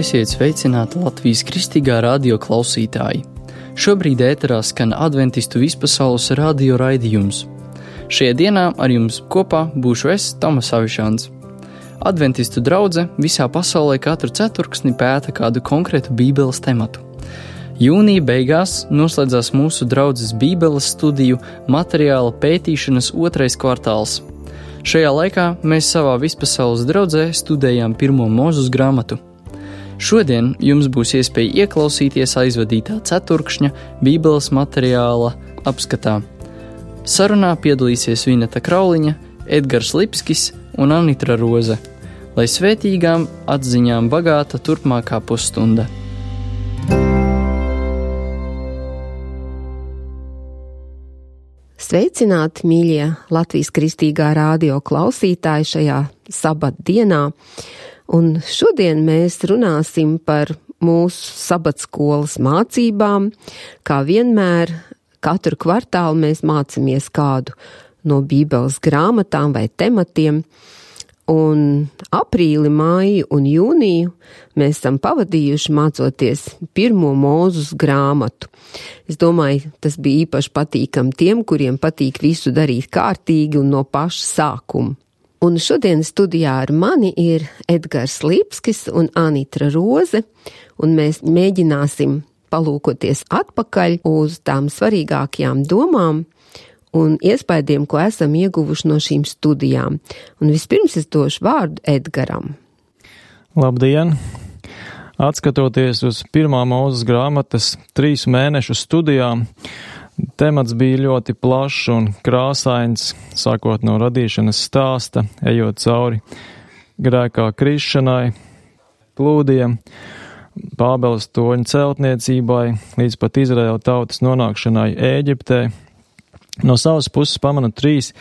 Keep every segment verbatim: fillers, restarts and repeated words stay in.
Esiet sveicināti Latvijas Kristīgā radio klausītāji. Šobrīd ēterā skan Adventistu vispasaules radio raidījums. Šajā dienā ar jums kopā būšu es, Tomas Avišāns. Adventistu draudze visā pasaulē katru ceturksni pēta kādu konkrētu bībeles tematu. Jūnija beigās noslēdzās mūsu draudzes bībeles studiju materiāla pētīšanas otrais kvartāls. Šajā laikā mēs savā vispasaules draudzē studējām pirmo Mūzes grāmatu. Šodien jums būs iespēja ieklausīties aizvadītā ceturkšņa bībeles materiāla apskatā. Sarunā piedalīsies Vineta Krauliņa, Edgars Lipskis un Anitra Roze, lai svētīgām atziņām bagāta turpmākā pusstunda. Sveicināti, mīļie Latvijas Kristīgā radio klausītāji šajā sabatdienā, un šodien mēs runāsim par mūsu sabatskolas mācībām. Kā vienmēr, katru kvartālu mēs mācamies kādu no bībeles grāmatām vai tematiem, un aprīli, māju un jūniju mēs esam pavadījuši mācoties pirmo Mūzes grāmatu. Es domāju, tas bija īpaši patīkami tiem, kuriem patīk visu darīt kārtīgi un no paša sākuma. Un šodien studijā ar mani ir Edgars Lipskis un Anitra Roze, un mēs mēģināsim palūkoties atpakaļ uz tām svarīgākajām domām un iespējām, ko esam ieguvuši no šīm studijām. Un vispirms es došu vārdu Edgaram. Labdien! Atskatoties uz pirmā Mūzes grāmatas trīs mēnešu studijām, temats bija ļoti plašs un krāsains, sākot no radīšanas stāsta, ejot cauri grēkā krišanai, plūdiem, Bābeles torņa celtniecībai, līdz pat Izraēla tautas nonākšanai Ēģiptē. No savas puses pamanu trīs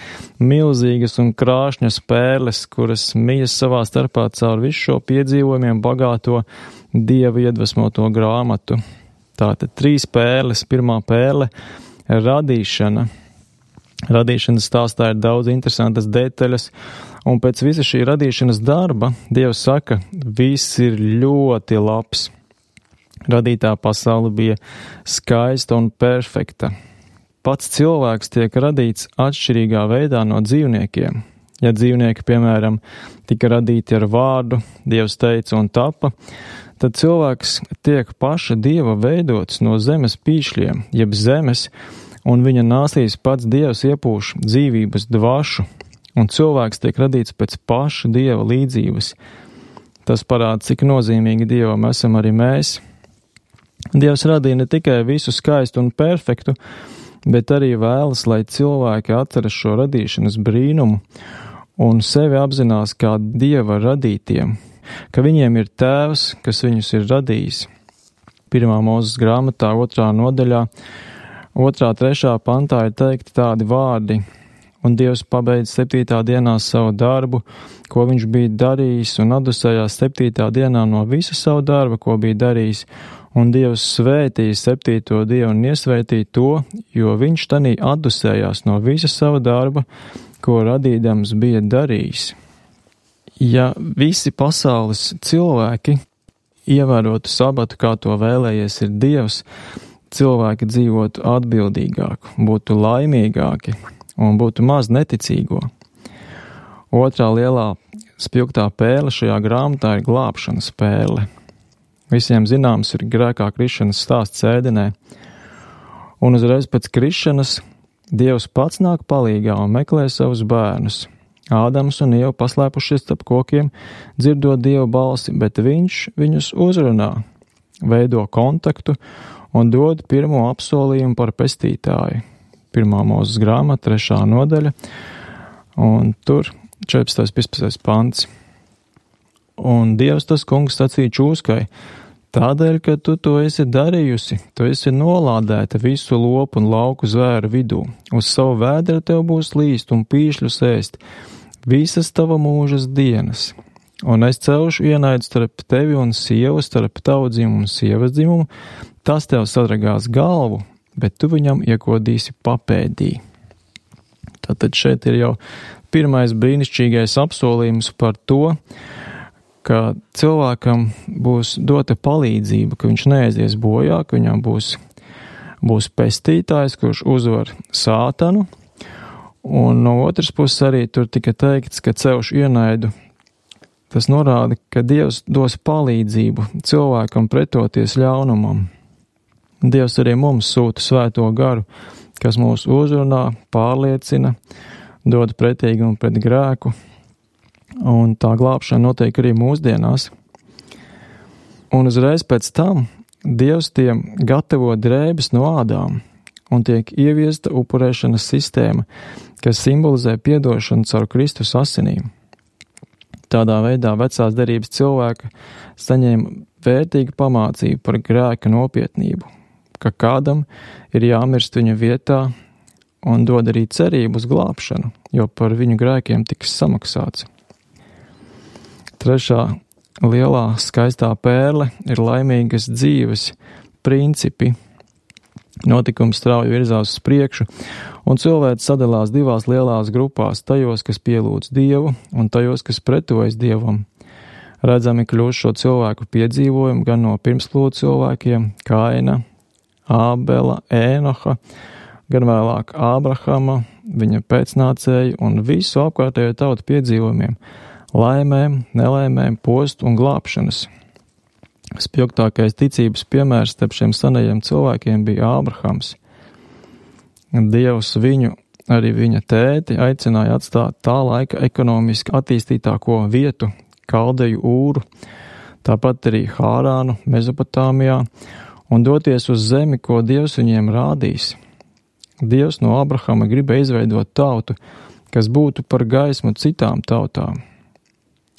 milzīgas un krāšņas pērles, kuras mijas savā starpā caur visu šo piedzīvojumiem bagāto Dieva iedvesmoto grāmatu. Tātad trīs pērles. Pirmā pērle ir radīšana. Radīšanas stāstā ir daudz interesantas detaļas, un pēc visa šī radīšanas darba Dievs saka, viss ir ļoti labs. Radītā pasaule bija skaista un perfekta. Pats cilvēks tiek radīts atšķirīgā veidā no dzīvniekiem. Ja dzīvnieki, piemēram, tika radīti ar vārdu, Dievs teica un tapa, tad cilvēks tiek paša Dieva veidots no zemes pīšļiem, jeb zemes, un viņa nāsīs pats Dievs iepūš dzīvības dvašu, un cilvēks tiek radīts pēc paša Dieva līdzības. Tas parāda, cik nozīmīgi Dievam esam arī mēs. Dievs radīja ne tikai visu skaistu un perfektu, bet arī vēlas, lai cilvēki atceras šo radīšanas brīnumu un sevi apzinās kā Dieva radītiem, ka viņiem ir tēvs, kas viņus ir radījis. Pirmā Mūzes grāmatā, otrā nodaļā, otrā, trešā pantā ir teikti tādi vārdi, un Dievs pabeidz septītā dienā savu darbu, ko viņš bija darījis, un atdusējās septītā dienā no visa savu darba, ko bija darījis, un Dievs svētīja septīto dienu un iesvētīja to, jo viņš tanī atdusējās no visa sava darba, ko radīdams bija darījis. Ja visi pasaules cilvēki ievērotu sabatu, kā to vēlējies ir Dievs, cilvēki dzīvotu atbildīgāk, būtu laimīgāki un būtu maz neticīgo. Otrā lielā spilgtā pērle šajā grāmatā ir glābšanas pērle. Visiem zināms ir grēkā krišanas stāsts ēdenē, un uzreiz pēc krišanas Dievs pats nāk palīgā un meklē savus bērnus. Ādams un Ieva paslēpušies starp kokiem, dzirdot Dieva balsi, bet viņš viņus uzrunā, veido kontaktu un dod pirmo apsolījumu par pestītāju. Pirmā Mūzes grāmata, trešā nodaļa, un tur četrpadsmitais piecpadsmitais pants. Un Dievs tas kungs sacīja čūskai, tādēļ, ka tu to esi darījusi, tu esi nolādēta visu lopu un lauku zvēru vidū. Uz savu vēdera tev būs līst un pīšļus ēst visas tava mūžas dienas. Un es celšu ienaidu starp tevi un sievu, starp tavu dzimumu un sievas dzimumu, tas tev sadragās galvu, bet tu viņam iekodīsi papēdī. Tātad šeit ir jau pirmais brīnišķīgais apsolījums par to, ka cilvēkam būs dota palīdzība, ka viņš neaizies bojā, ka viņam būs, būs pestītājs, kurš uzvar sātanu, un no otras puses arī tur tika teikts, ka celšu ienaidu. Tas norāda, ka Dievs dos palīdzību cilvēkam pretoties ļaunumam. Dievs arī mums sūta svēto garu, kas mūs uzrunā, pārliecina, dod pretīgumu pret grēku, un tā glābšana notiek arī mūsdienās. Un uzreiz pēc tam Dievs tiem gatavo drēbes no ādām, un tiek ieviesta upurēšanas sistēma, kas simbolizē piedošanu caur Kristus asinīm. Tādā veidā vecās derības cilvēka saņēma vērtīgu pamācību par grēka nopietnību, ka kādam ir jāmirst viņa vietā, un dod arī cerību uz glābšanu, jo par viņu grēkiem tiks samaksāts. Trešā lielā skaistā pērle ir laimīgas dzīves principi. Notikums strauji virzās uz priekšu, un cilvēks sadalās divās lielās grupās, tajos, kas pielūdz Dievu, un tajos, kas pretojas Dievam. Redzami kļūst šo cilvēku piedzīvojumu gan no pirmslūdu cilvēkiem, Kaina, Ābela, Ēnoha, gan vēlāk Ābrahama, viņa pēcnācēju un visu apkārtējo tautu piedzīvojumiem, laimēm, nelaimēm, postu un glābšanas. Spilgtākais ticības piemērs starp šiem senajiem cilvēkiem bija Ābrahams. Dievs viņu, arī viņa tēti, aicināja atstāt tā laika ekonomiski attīstītāko vietu, Kaldeju Ūru, tāpat arī Hārānu, Mezopotāmijā, un doties uz zemi, ko Dievs viņiem rādīs. Dievs no Ābrahama gribēja izveidot tautu, kas būtu par gaismu citām tautām.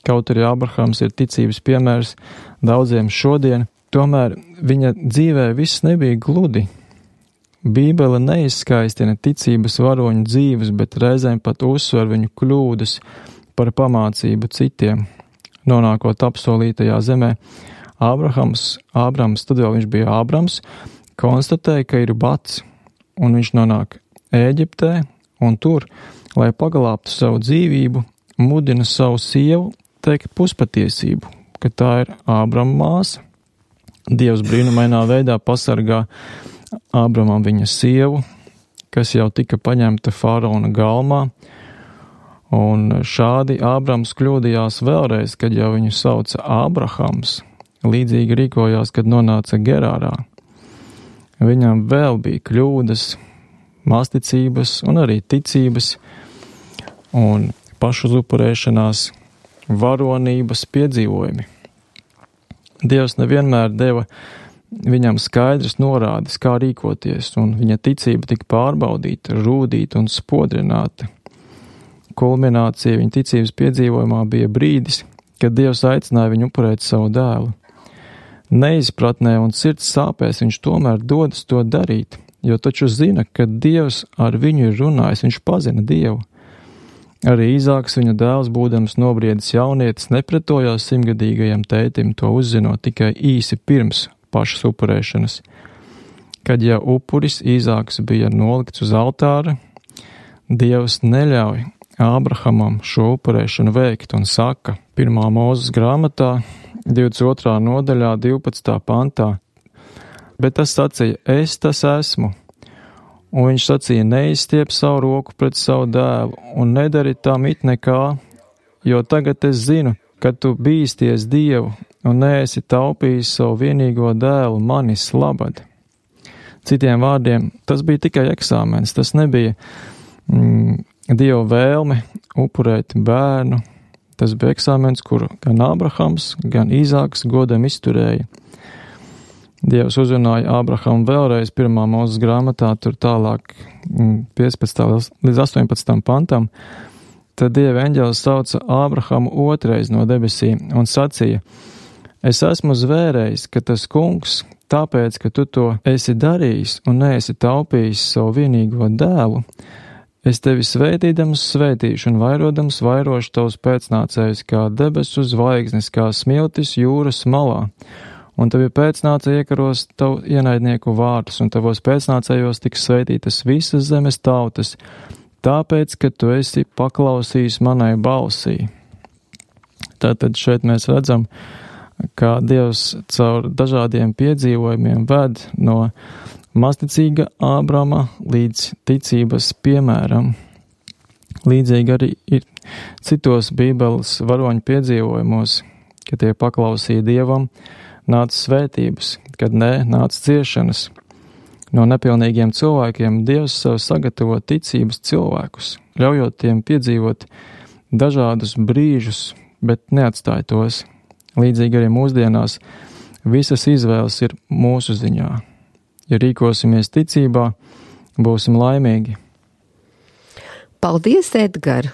Kaut arī Ābrahams ir ticības piemērs daudziem šodien, tomēr viņa dzīvē viss nebija gludi. Bībele neizskaistina ticības varoņu dzīves, bet reizēm pat uzsver viņu kļūdas par pamācību citiem. Nonākot apsolītajā zemē, Ābrahams, Ābrams, tad vēl viņš bija Ābrams, konstatēja, ka ir bats, un viņš nonāk Ēģiptē, un tur, lai paglābtu savu dzīvību, mudina savu sievu teikt puspatiesību, ka tā ir Ābrama māsa. Dievs brīnumainā veidā pasargā Ābramam viņa sievu, kas jau tika paņemta faraona galmā, un šādi Ābrams kļūdījās vēlreiz, kad jau viņu sauca Ābrahams, līdzīgi rīkojās, kad nonāca Gerārā. Viņam vēl bija kļūdas, masticības un arī ticības un pašuzupurēšanās, varonības piedzīvojumi. Dievs nevienmēr deva viņam skaidrs norādes, kā rīkoties, un viņa ticība tika pārbaudīta, rūdīta un spodrināta. Kulminācija viņa ticības piedzīvojumā bija brīdis, kad Dievs aicināja viņu upurēt savu dēlu. Neizpratnē un sirds sāpēs viņš tomēr dodas to darīt, jo taču zina, ka Dievs ar viņu ir runājis, viņš pazina Dievu. Arī Īzāks, viņa dēls, būdams nobriedis jaunietis, nepretojās simtgadīgajam tētim, to uzzinot tikai īsi pirms pašas upurēšanas. Kad jau upuris Īzāks bija nolikts uz altāra, Dievs neļauj Ābrahamam šo upurēšanu veikt un saka pirmā Mūzes grāmatā, divdesmit otrā nodaļā, divpadsmitā pantā, bet tas sacīja, es tas esmu. Un viņš sacīja, neizstiep savu roku pret savu dēlu un nedari tam it nekā, jo tagad es zinu, ka tu bīsties Dievu un neesi taupījis savu vienīgo dēlu manis labad. Citiem vārdiem, tas bija tikai eksāmens, tas nebija mm, Dieva vēlme upurēt bērnu, tas bija eksāmens, kuru gan Ābrahams, gan Īzāks godam izturēja. Dievs uzrunāja Ābrahamu vēlreiz pirmā Mūzes grāmatā, tur tālāk piecpadsmitam līdz astoņpadsmitam pantam. Tad Dieva eņģelis sauca Ābrahamu otrais no debesīm un sacīja, es esmu zvērējis, ka tas kungs, tāpēc, ka tu to esi darījis un neesi taupījis savu vienīgo dēlu, es tevi svētīdams svētīšu un vairodams vairošu tavus pēcnācējus kā debesu zvaigznes, kā smiltis jūras malā. Un tavi pēcnācēji iekaros tavu ienaidnieku vārtus, un tavos pēcnācējos tiks svētītas visas zemes tautas, tāpēc, ka tu esi paklausījis manai balsī. Tātad šeit mēs redzam, kā Dievs caur dažādiem piedzīvojumiem ved no mazticīga Ābrama līdz ticības piemēram. Līdzīgi arī ir citos Bībeles varoņu piedzīvojumos, kad tie paklausīja Dievam, nāca svētības, kad nē, nāca ciešanas. No nepilnīgiem cilvēkiem Dievs sev sagatavo ticības cilvēkus, ļaujot tiem piedzīvot dažādus brīžus, bet neatstāj tos. Līdzīgi arī mūsdienās visas izvēles ir mūsu ziņā. Ja rīkosimies ticībā, būsim laimīgi. Paldies, Edgar!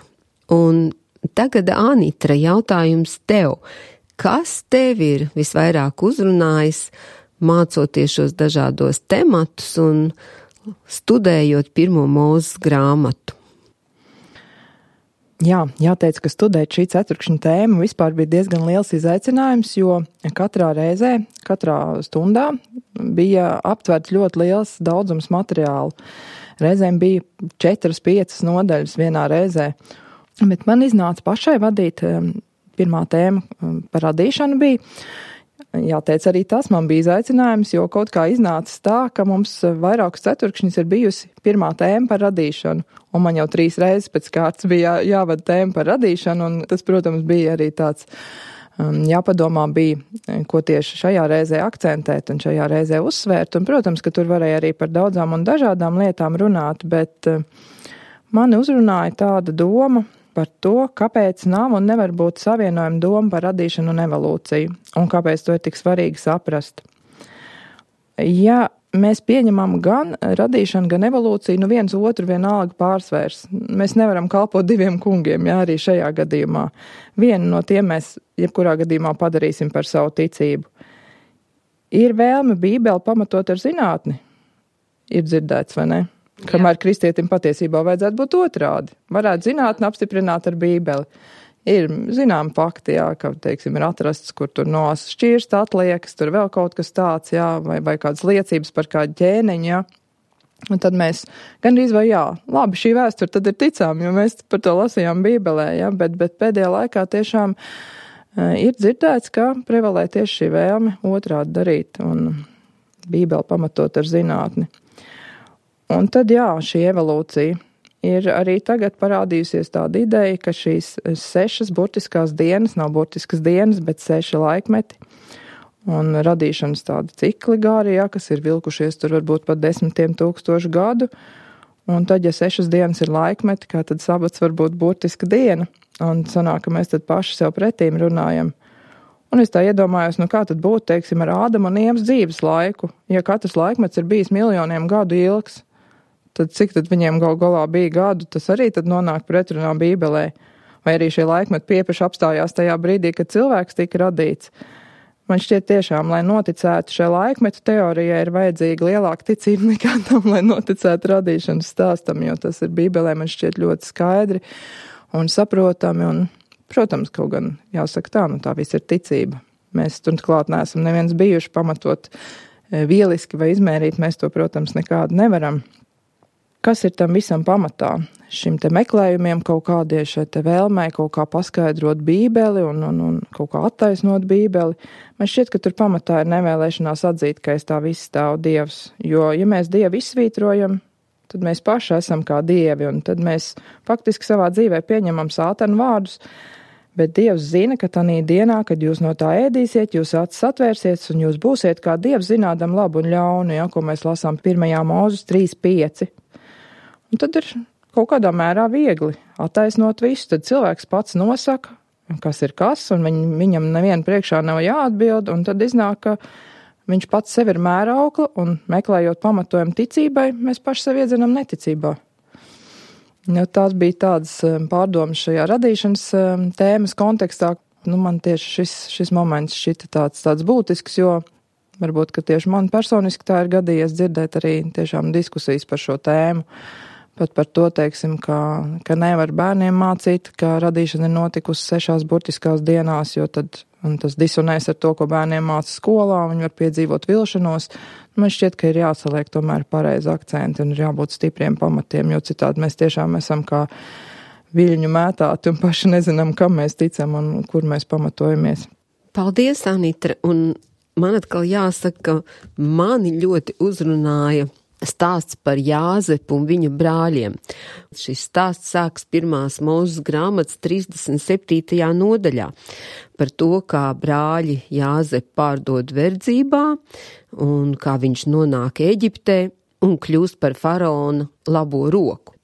Un tagad, Anitra, jautājums tev. Kas tev ir visvairāk uzrunājis, mācoties šos dažādos tematus un studējot pirmo Mūzes grāmatu? Jā, jāteic, ka studēt šī ceturkšņa tēma vispār bija diezgan liels izaicinājums, jo katrā reizē, katrā stundā bija aptverts ļoti liels daudzums materiālu. Reizēm bija četras, piecas nodaļas vienā reizē. Bet man iznāca pašai vadīt, pirmā tēma par radīšanu bija. Jāteic, arī tas man bija izaicinājums, jo kaut kā iznāca tā, ka mums vairākus ceturkšņus ir bijusi pirmā tēma par radīšanu, un man jau trīs reizes pēc kārtas bija jā, jāvada tēma par radīšanu, un tas, protams, bija arī tāds um, jāpadomā bija, ko tieši šajā reizē akcentēt un šajā reizē uzsvērt, un, protams, ka tur varēja arī par daudzām un dažādām lietām runāt, bet uh, mani uzrunāja tāda doma par to, kāpēc nav un nevar būt savienojuma doma par radīšanu un evolūciju, un kāpēc to ir tik svarīgi saprast. Ja mēs pieņemam gan radīšanu, gan evolūciju, nu viens otru vienalga pārsvērs. Mēs nevaram kalpot diviem kungiem, jā, arī šajā gadījumā. Vienu no tiem mēs jebkurā gadījumā padarīsim par savu ticību. Ir vēlme Bībeli pamatot ar zinātni. Ir dzirdēts, vai ne? Kamēr kristietim patiesībā vajadzētu būt otrādi. Varētu zinātni apstiprināt ar Bībeli. Ir zinām fakti, jā, ka, teiksim, ir atrasts, kur tur no šķirsta atliekas, tur vēl kaut kas tāds, jā, vai, vai kādas liecības par kādu ķēniņu, jā. Un tad mēs gandrīz vai jā, labi, šī vēsture tad ir ticām, jo mēs par to lasījām Bībelē, jā, bet, bet pēdējā laikā tiešām uh, ir dzirdēts, ka prevalē tieši šī vēlme otrādi darīt un Bībeli pamatot ar zinātni. Un tad jā, šī evolūcija ir arī tagad parādījusies tāda ideja, ka šīs sešas burtiskās dienas nav burtiskas dienas, bet seši laikmeti un radīšanas tādi cikli gāri, jā, kas ir vilkušies tur varbūt pat desmitiem tūkstošu gadu. Un tad, ja sešas dienas ir laikmeti, kā tad sabats var būt burtiska diena. Un sanāk, ka mēs tad paši sev pretīm runājam. Un es tā iedomājos, nu kā tad būtu, teiksim, ar Ādama un Ievas dzīves laiku, ja katrs laikmets ir bijis miljoniem gadu ilgs. Tad cik tad viņiem gal galā bija gadu, tas arī tad nonāk pretrunā Bībelē. Vai arī šie laikmeti piepeši apstājās tajā brīdī, kad cilvēks tika radīts. Man šķiet tiešām, lai noticētu šai laikmetu teorijai, ir vajadzīga lielāka ticība nekā tam, lai noticētu radīšanas stāstam, jo tas ir Bībelē man šķiet ļoti skaidri un saprotami. Un, protams, kaut gan jāsaka tā, nu tā viss ir ticība. Mēs turklāt neesam neviens bijuši pamatot vieliski vai izmērīt, mēs to, protams, nekādu nevaram. Kas ir tam visam pamatā? Šim te meklējumiem kaut kādie šai te vēlmē kaut kā paskaidrot Bībeli un, un, un kaut kā attaisnot Bībeli. Man šķiet, ka tur pamatā ir nevēlēšanās atzīt, ka aiz tā viss stāv Dievs. Jo, ja mēs Dievu izsvītrojam, tad mēs paši esam kā dievi, un tad mēs faktiski savā dzīvē pieņemam sātanu vārdus. Bet Dievs zina, ka tanī dienā, kad jūs no tā ēdīsiet, jūs acis atvērsiet, un jūs būsiet kā Dievs zinādam labu un ļaunu, ja, ko mēs lasām pirmajā Mūzes trīs pieci. Un tad ir kaut kādā mērā viegli attaisnot visu. Tad cilvēks pats nosaka, kas ir kas, un viņ, viņam nevienu priekšā nav jāatbild, un tad iznāk, ka viņš pats sev ir mēraukla, un meklējot pamatojumu ticībai, mēs paši sev iedzenam neticībā. Nu, tās bija tādas pārdomas šajā radīšanas tēmas kontekstā. Nu, man tieši šis, šis moments šķita tāds, tāds būtisks, jo varbūt, ka tieši man personiski tā ir gadījies dzirdēt arī tiešām diskusijas par šo tēmu. Pat par to, teiksim, ka, ka nevar bērniem mācīt, ka radīšana ir notikusi sešās burtiskās dienās, jo tad tas disonēs ar to, ko bērniem māca skolā, viņi var piedzīvot vilšanos. Man šķiet, ka ir jāsaliek tomēr pareizi akcenti un ir jābūt stipriem pamatiem, jo citādi mēs tiešām esam kā viļņu mētāti un paši nezinām, kam mēs ticam un kur mēs pamatojamies. Paldies, Anitra, un man atkal jāsaka, ka mani ļoti uzrunāja stāsts par Jāzepu un viņa brāļiem. Šis stāsts sāks pirmās Mūzes grāmatas trīsdesmit septītajā nodaļā par to, kā brāļi Jāzepu pārdod verdzībā un kā viņš nonāk Eģiptē un kļūst par faraona labo roku.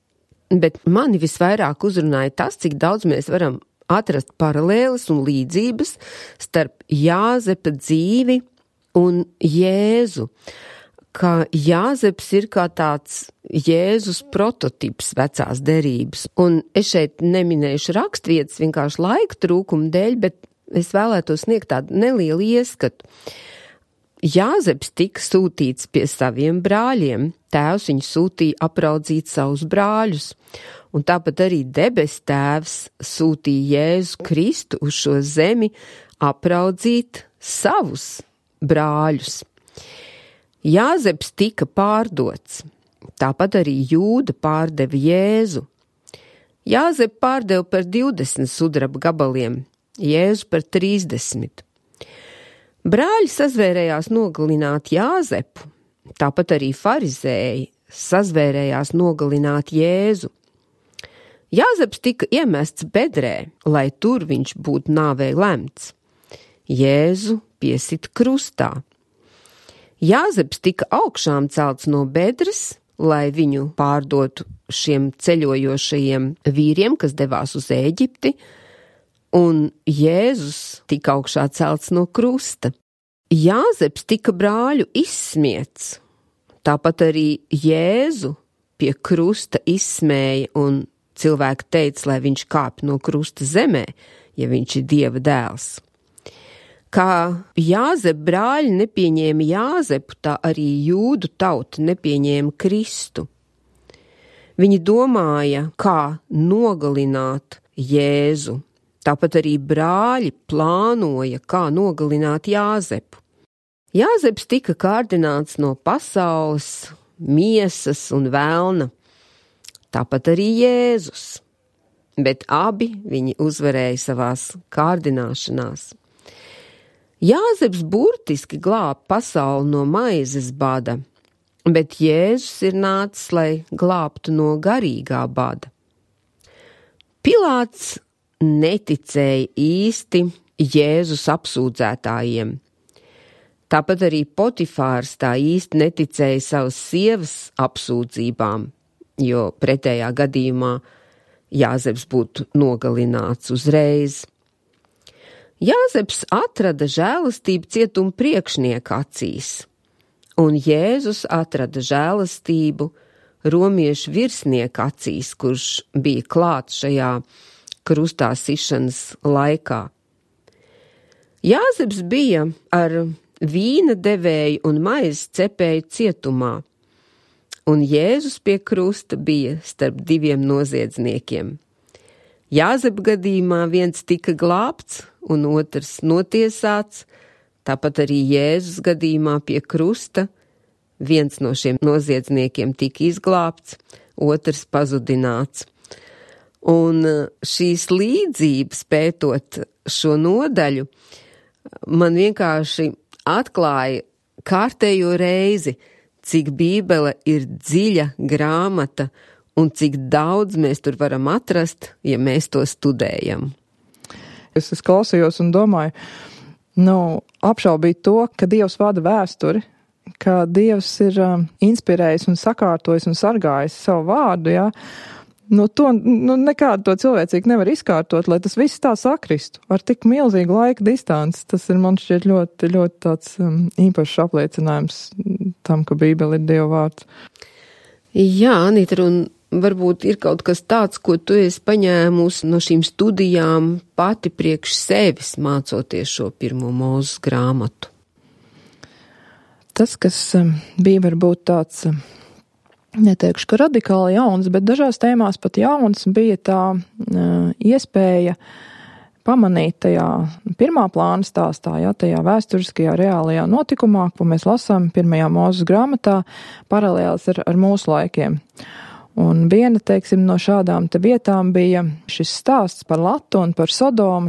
Bet mani visvairāk uzrunāja tas, cik daudz mēs varam atrast paralēles un līdzības starp Jāzepa dzīvi un Jēzu. Ka Jāzeps ir kā tāds Jēzus prototips vecās derības. Un es šeit neminēšu rakstvietas vienkārši laika trūkuma dēļ, bet es vēlētos sniegt tādu nelielu ieskatu. Jāzeps tika sūtīts pie saviem brāļiem. Tēvs viņu sūtīja apraudzīt savus brāļus. Un tāpat arī debes tēvs sūtīja Jēzu Kristu uz šo zemi apraudzīt savus brāļus. Jāzeps tika pārdots, tāpat arī Jūda pārdeva Jēzu. Jāzepu pārdeva par divdesmit sudraba gabaliem, Jēzu par trīsdesmit. Brāļi sazvērējās nogalināt Jāzepu, tāpat arī farizēji sazvērējās nogalināt Jēzu. Jāzeps tika iemests bedrē, lai tur viņš būtu nāvei lemts. Jēzu piesit krustā. Jāzeps tika augšām celts no bedres, lai viņu pārdotu šiem ceļojošajiem vīriem, kas devās uz Ēģipti, un Jēzus tika augšā celts no krusta. Jāzeps tika brāļu izsmiets, tāpat arī Jēzu pie krusta izsmēja, un cilvēki teica, lai viņš kāp no krusta zemē, ja viņš ir Dieva dēls. Kā Jāzepa brāļi nepieņēma Jāzepu, tā arī Jūdu tauta nepieņēma Kristu. Viņi domāja, kā nogalināt Jēzu. Tāpat arī brāļi plānoja, kā nogalināt Jāzepu. Jāzeps tika kārdināts no pasaules, miesas un velna. Tāpat arī Jēzus. Bet abi viņi uzvarēja savās kārdināšanās. Jāzeps burtiski glāb pasauli no maizes bada, bet Jēzus ir nācis, lai glābtu no garīgā bada. Pilāts neticēja īsti Jēzus apsūdzētājiem. Tāpat arī Potifārs tā īsti neticēja savas sievas apsūdzībām, jo pretējā gadījumā Jāzeps būtu nogalināts uzreiz. Jāzeps atrada žēlastību cietuma priekšnieka acīs, un Jēzus atrada žēlastību romiešu virsnieka acīs, kurš bija klāts šajā krustā sišanas laikā. Jāzeps bija ar vīna devēju un maizes cepēju cietumā, un Jēzus pie krusta bija starp diviem noziedzniekiem. Jāzepa gadījumā viens tika glābts un otrs notiesāts, tāpat arī Jēzus gadījumā pie krusta viens no šiem noziedzniekiem tika izglābts, otrs pazudināts. Un šīs līdzības pētot šo nodaļu, man vienkārši atklāja kārtējo reizi, cik Bībele ir dziļa grāmata un cik daudz mēs tur varam atrast, ja mēs to studējam. Es, es klausījos un domāju, nu, apšaubīt to, ka Dievs vada vēsturi, ka Dievs ir um, inspirējis un sakārtojis un sargājis savu vārdu, jā. Nu, to, nu, nekādu to cilvēcīgi nevar izkārtot, lai tas viss tā sakristu ar tik milzīgu laika distanci. Tas ir, man šķiet, ļoti, ļoti tāds um, īpašs apliecinājums tam, ka Bībele ir Dieva vārds. Jā, Anita, un varbūt ir kaut kas tāds, ko tu esi paņēmusi no šīm studijām pati priekš sevis, mācoties šo pirmo Mūzes grāmatu. Tas, kas um, bija varbūt tāds, um, neteikšu, ka radikāli jauns, bet dažās tēmās pat jauns, bija tā uh, iespēja pamanīt tajā pirmā plāna stāstā, ja, tajā vēsturiskajā reālajā notikumā, ko mēs lasām pirmajā Mūzes grāmatā, paralēlis ar, ar mūsu laikiem. Un viena, teiksim, no šādām te vietām bija šis stāsts par Latu un par Sodomu.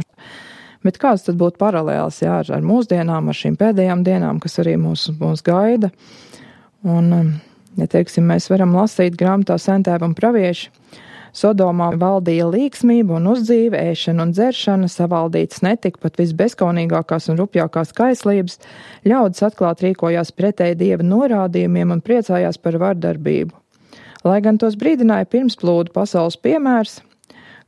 Bet kāds tad būtu paralēls, jā, ar, ar mūsdienām, ar šīm pēdējām dienām, kas arī mūs, mūs gaida? Un, ja teiksim, mēs varam lasīt grāmatā Sentēva un pravieši, Sodomā valdīja līgsmība un uzdzīve, ēšana un dzeršana, savaldītas netika pat visbeskaunīgākās un rupjākās kaislības, ļaudis atklāt rīkojās pretēji Dieva norādījumiem un priecājās par vardarbību. Lai gan tos brīdināja pirmsplūdu pasaules piemērs,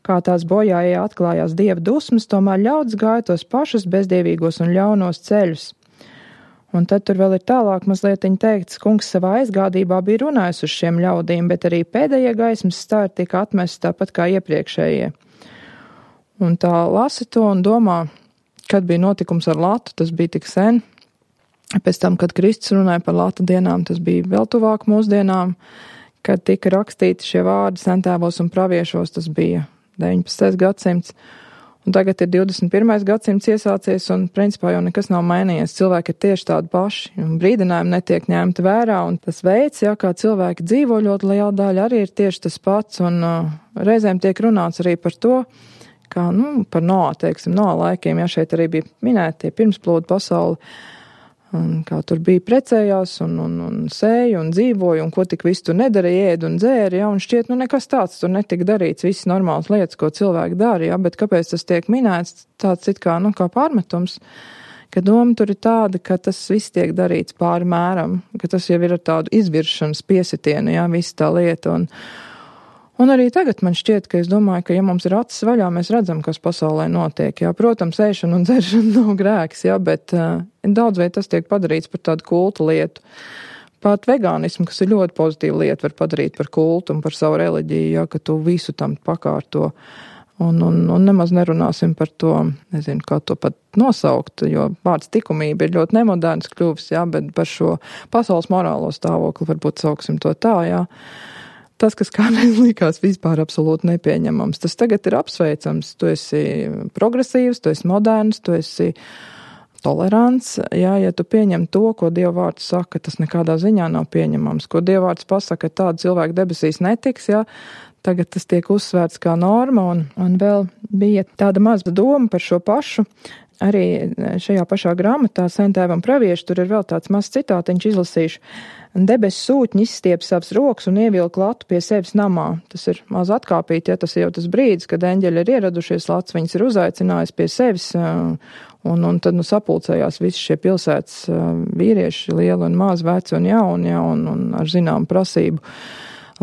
kā tās bojājā atklājās Dieva dusmas, tomēr ļaudis gāja tos pašus bezdievīgos un ļaunos ceļus. Un tad tur vēl ir tālāk mazlietiņ teikts, kungs savā aizgādībā bija runājis uz šiem ļaudīm, bet arī pēdējie gaismas stāri tika atmesti tāpat kā iepriekšējie. Un tā lasi to un domā, kad bija notikums ar Latu, tas bija tik sen. Pēc tam, kad Kristus runāja par Lata dienām, tas bija vēl tuvāk mūsdienām, kad tika rakstīti šie vārdi Sentēvos un praviešos, tas bija deviņpadsmitais gadsimts. Un tagad ir divdesmit pirmais gadsimts iesācies, un principā jau nekas nav mainījies. Cilvēki ir tieši tādi paši, un brīdinājumi netiek ņemti vērā, un tas veids, jā, kā cilvēki dzīvo, ļoti liela daļa arī ir tieši tas pats, un uh, reizēm tiek runāts arī par to, kā, nu, par Noā, teiksim, Noā laikiem, jā, šeit arī bija minēti tie pirmsplūdu pasauli, un kā tur bija precējās, un, un, un sēja, un dzīvoja, un ko tik visu tur nedarīja, ēd un dzēri, jā, un šķiet, nu, nekas tāds tur netika darīts, visas normālas lietas, ko cilvēki dara, jā, bet kāpēc tas tiek minēts, tāds it kā, nu, kā pārmetums, ka doma tur ir tāda, ka tas viss tiek darīts pāri mēram, ka tas jau ir ar tādu izviršanas piesitienu, jā, visa tā lieta, un Un arī tagad man šķiet, ka es domāju, ka ja mums ir acis vaļā, mēs redzam, kas pasaulē notiek. Jā, protams, ēšana un dzeršana nav grēks, jā, bet uh, daudz viet tas tiek padarīts par tādu kultu lietu. Pat vegānismu, kas ir ļoti pozitīva lieta, var padarīt par kultu un par savu reliģiju, jā, ka tu visu tam pakārto. Un, un, un nemaz nerunāsim par to, nezinu, kā to pat nosaukt, jo vārds likumība ir ļoti nemoderns kļuvis, jā, bet par šo pasaules morālo stāvokli varbūt sauksim to tā, jā. Tas, kas kādreiz likās vispār absolūti nepieņemams, tas tagad ir apsveicams. Tu esi progresīvs, tu esi moderns, tu esi tolerants. Jā, ja tu pieņem to, ko Dieva vārds saka, tas nekādā ziņā nav pieņemams. Ko Dieva vārds pasaka, ka tādu cilvēku debesīs netiks, jā, tagad tas tiek uzsvērts kā norma, un, un vēl bija tāda maza doma par šo pašu. Arī šajā pašā grāmatā Sentēvam pravieši, tur ir vēl tāds mazs citātiņš izlasīšu. Debes sūtņi izstiep savas rokas un ievilk Latu pie sevis namā. Tas ir maz atkāpīt, ja tas ir jau tas brīdis, kad eņģeļi ir ieradušies, Lats viņas ir uzaicinājis pie sevis, un, un tad nu sapulcējās visi šie pilsētas vīrieši, lieli un mazi, veci un jauni, ja, un, un ar zinām prasību,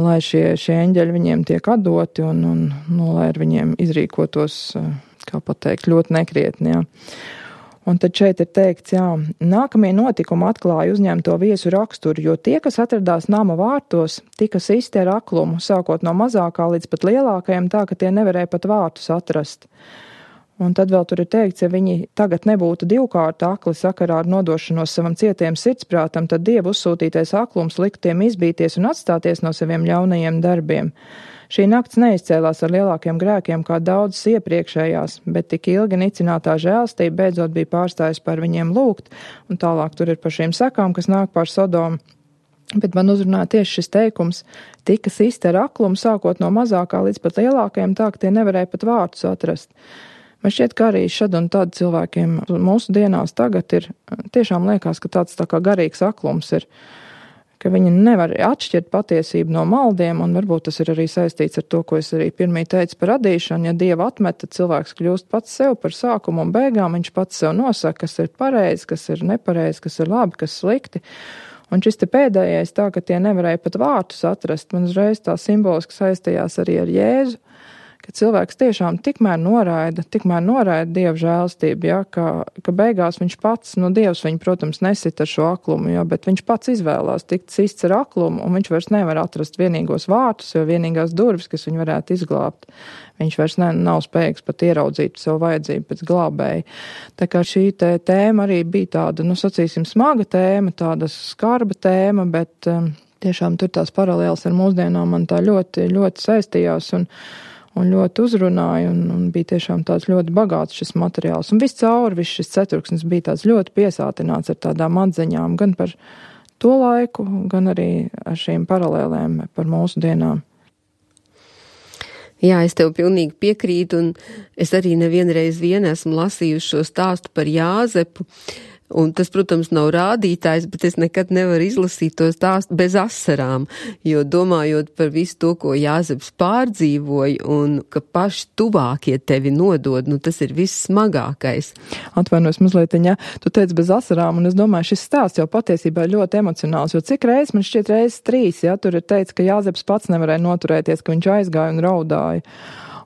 lai šie, šie eņģeļi viņiem tiek atdoti un, un nu, lai ar viņiem izrīkotos, kā pateikt, ļoti nekrietni, jā. Un tad šeit ir teikts, jā, nākamie notikumi atklāja uzņemto viesu raksturu, jo tie, kas atradās nama vārtos, tika sisti ar aklumu, sākot no mazākā līdz pat lielākajam, tā, ka tie nevarēja pat vārtus atrast. Un tad vēl tur ir teikts, ja viņi tagad nebūtu divkārt akli sakarā ar nodošanos savam cietiem sirdsprātam, tad Dieva uzsūtītais aklums likt tiem izbīties un atstāties no saviem ļaunajiem darbiem. Šī nakts neizcēlās ar lielākiem grēkiem kā daudzas iepriekšējās, bet tik ilgi nicinātā žēlstība beidzot bija pārstājusi par viņiem lūgt, un tālāk tur ir par šīm sekām, kas nāk pār Sodomu. Bet man uzrunāja tieši šis teikums, tika sisti ar aklumu, sākot no mazākā līdz pat lielākajiem, tā, ka tie nevarēja pat vārtus atrast. Man šķiet, ka arī šad un tad cilvēkiem mūsu dienās tagad ir, tiešām liekas, ka tāds tā kā garīgs aklums ir, ka viņi nevar atšķirt patiesību no maldiem, un varbūt tas ir arī saistīts ar to, ko es arī pirmī teicu par radīšanu. Ja Dievu atmet, tad cilvēks kļūst pats sev par sākumu un beigām, viņš pats sev nosaka, kas ir pareizi, kas ir nepareizi, kas ir labi, kas slikti. Un šis te pēdējais tā, ka tie nevarēja pat vārtus atrast, man uzreiz tā simboliski saistījās arī ar Jēzu, ka cilvēks tiešām tikmēr noraida, tikmēr noraida Dieva žēlstību, ja, ka, ka beigās viņš pats, nu Dievs viņu, protams, nesit ar šo aklumu, ja, bet viņš pats izvēlās tikt sists ar aklumu, un viņš vairs nevar atrast vienīgos vārtus, jo vienīgās durvis, kas viņu varētu izglābt. Viņš vairs ne, nav spējīgs pat ieraudzīt savu vajadzību pēc glābēja. Tā kā šī te tēma arī bija tāda, nu sacīsim, smaga tēma, tāda skarba tēma, bet um, tiešām tur tās paralēlas ar mūsdienām man tā ļoti, ļoti saistījās, un un ļoti uzrunāja, un, un bija tiešām tāds ļoti bagāts šis materiāls. Un viss cauri, viss šis ceturksnis bija tāds ļoti piesātināts ar tādām atziņām, gan par to laiku, gan arī ar šīm paralēlēm par mūsu dienām. Jā, es tev pilnīgi piekrītu, un es arī nevienreiz vien esmu lasījuši šo stāstu par Jāzepu, un tas, protams, nav rādītājs, bet es nekad nevaru izlasīt to stāstu bez asarām, jo domājot par visu to, ko Jāzeps pārdzīvoja, un ka paši tuvākie tevi nodod, nu tas ir viss smagākais. Atvainojos mazliet, ja tu teici bez asarām, un es domāju, šis stāsts jau patiesībā ir ļoti emocionāls, jo cik reiz, man šķiet reizes trīs, ja, tur ir teicis, ka Jāzeps pats nevarēja noturēties, ka viņš aizgāja un raudāja.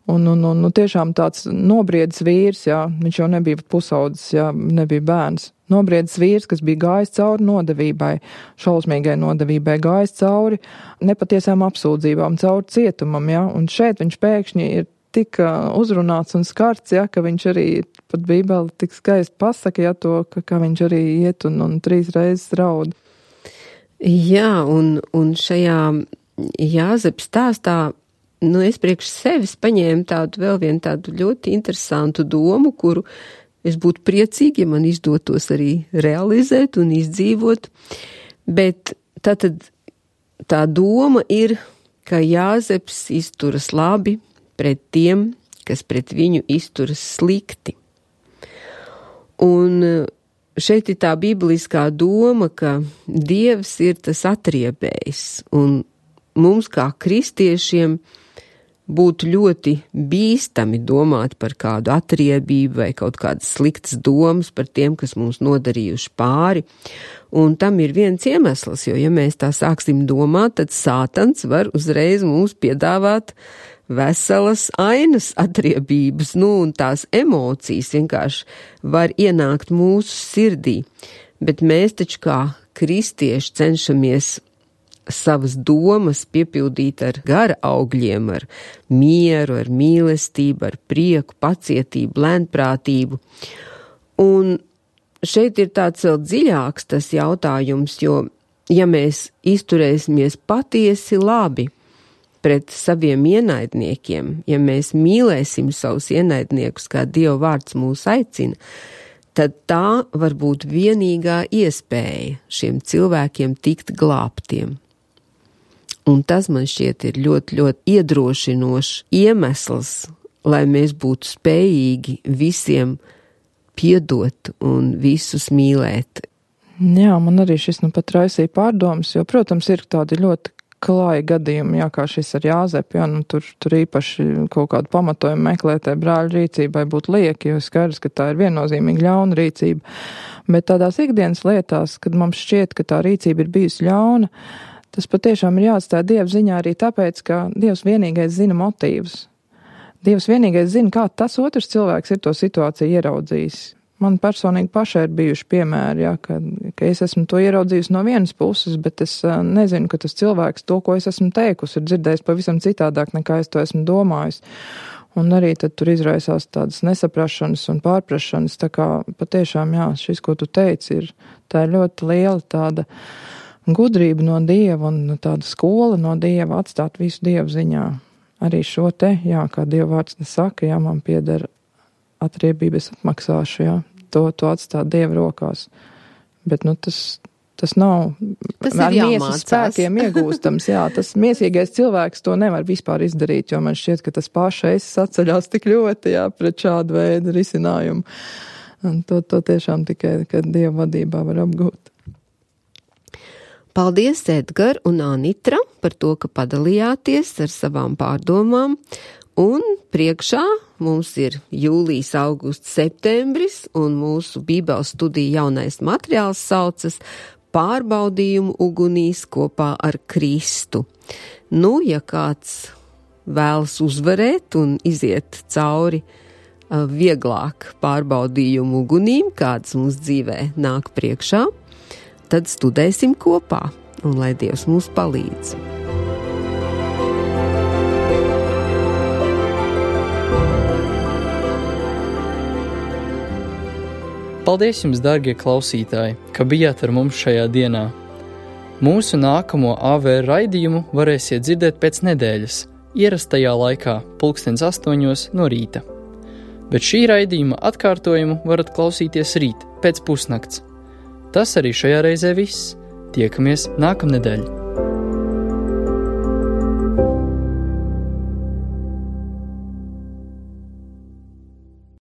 Un, un, un, un tiešām tāds nobriedis vīrs, jā, viņš jau nebija pusaudzis, jā, nebija bērns. Nobriedis vīrs, kas bija gājis cauri nodevībai, šausmīgai nodevībai, gājis cauri nepatiesām apsūdzībām, cauri cietumam, jā, un šeit viņš pēkšņi ir tik uzrunāts un skarts, jā, ka viņš arī, pat Bībele tik skaisti pasaka, jā, to, ka, ka viņš arī iet un, un trīs reizes raud. Jā, un, un šajā Jāzepa stāstā, nu, es priekš sevis paņēmu tādu vēl vienu tādu ļoti interesantu domu, kuru es būtu priecīgi, ja man izdotos arī realizēt un izdzīvot, bet tātad tā doma ir, ka Jāzeps izturas labi pret tiem, kas pret viņu izturas slikti. Un šeit ir tā bibliskā doma, ka Dievs ir tas atriebējs, un mums kā kristiešiem būtu ļoti bīstami domāt par kādu atriebību vai kaut kādas sliktas domas par tiem, kas mums nodarījuši pāri. Un tam ir viens iemesls, jo ja mēs tā sāksim domāt, tad Sātans var uzreiz mums piedāvāt veselas ainas atriebības, nu, un tās emocijas vienkārši var ienākt mūsu sirdī. Bet mēs taču kā kristieši cenšamies savas domas piepildīt ar gara augļiem, ar mieru, ar mīlestību, ar prieku, pacietību, lēnprātību. Un šeit ir tāds vēl dziļāks tas jautājums, jo ja mēs izturēsimies patiesi labi pret saviem ienaidniekiem, ja mēs mīlēsim savus ienaidniekus, kā Dieva vārds mūs aicina, tad tā var būt vienīgā iespēja šiem cilvēkiem tikt glābtiem. Un tas man šķiet ir ļoti, ļoti iedrošinošs iemesls, lai mēs būtu spējīgi visiem piedot un visus mīlēt. Jā, man arī šis nu pat raisīja pārdomas, jo, protams, ir tādi ļoti klāji gadījumi, jā, kā šis ar Jāzepu, jā, nu tur, tur īpaši kaut kādu pamatojumu meklētai brāļu rīcībai būtu lieki, jo skaidrs, ka tā ir viennozīmīgi ļauna rīcība. Bet tādās ikdienas lietās, kad mums šķiet, ka tā rīcība ir bijusi ļauna, tas patiešām ir jāatstāj Dieva ziņā arī tāpēc, ka Dievs vienīgais zina motīvus. Dievs vienīgais zina, kā tas otrs cilvēks ir to situāciju ieraudzījis. Man personīgi pašai ir bijuši piemēri, jā, ka, ka es esmu to ieraudzījusi no vienas puses, bet es nezinu, ka tas cilvēks to, ko es esmu teikusi, ir dzirdējis pavisam citādāk, nekā es to esmu domājusi. Un arī tad tur izraisās tādas nesaprašanas un pārprašanas, tā kā patiešām, jā, šis, ko tu teici, ir tā ir ļoti liela tāda gudrība no Dieva un tāda skola no Dieva atstāt visu Dievu ziņā. Arī šo te, jā, kā Dieva vārds saka, jā, man pieder atriebība, es atmaksāšu, jā, to, to atstāt Dieva rokās. Bet, nu, tas, tas nav tas ar miesas spēkiem iegūstams, jā, tas miesīgais cilvēks to nevar vispār izdarīt, jo man šķiet, ka tas pašais saceļās tik ļoti, jā, pret šādu veidu risinājumu. Un to, to tiešām tikai, kad Dieva vadībā var apgūt. Paldies, Edgar un Anitra, par to, ka padalījāties ar savām pārdomām, un priekšā mums ir jūlijas, augusts, septembris, un mūsu Bībeles studija jaunais materiāls saucas Pārbaudījumu ugunīs kopā ar Kristu. Nu, ja kāds vēlas uzvarēt un iziet cauri uh, vieglāk pārbaudījumu ugunīm, kāds mums dzīvē nāk priekšā, tad studēsim kopā, un lai Dievs mums palīdz. Paldies jums, dārgie klausītāji, ka bijāt ar mums šajā dienā. Mūsu nākamo A V R raidījumu varēsiet dzirdēt pēc nedēļas, ierastajā laikā, pulkstens astoņos no rīta. Bet šī raidījuma atkārtojumu varat klausīties rīt, pēc pusnakts. Tas arī šajā reizē viss. Tiekamies nākamnedēļ.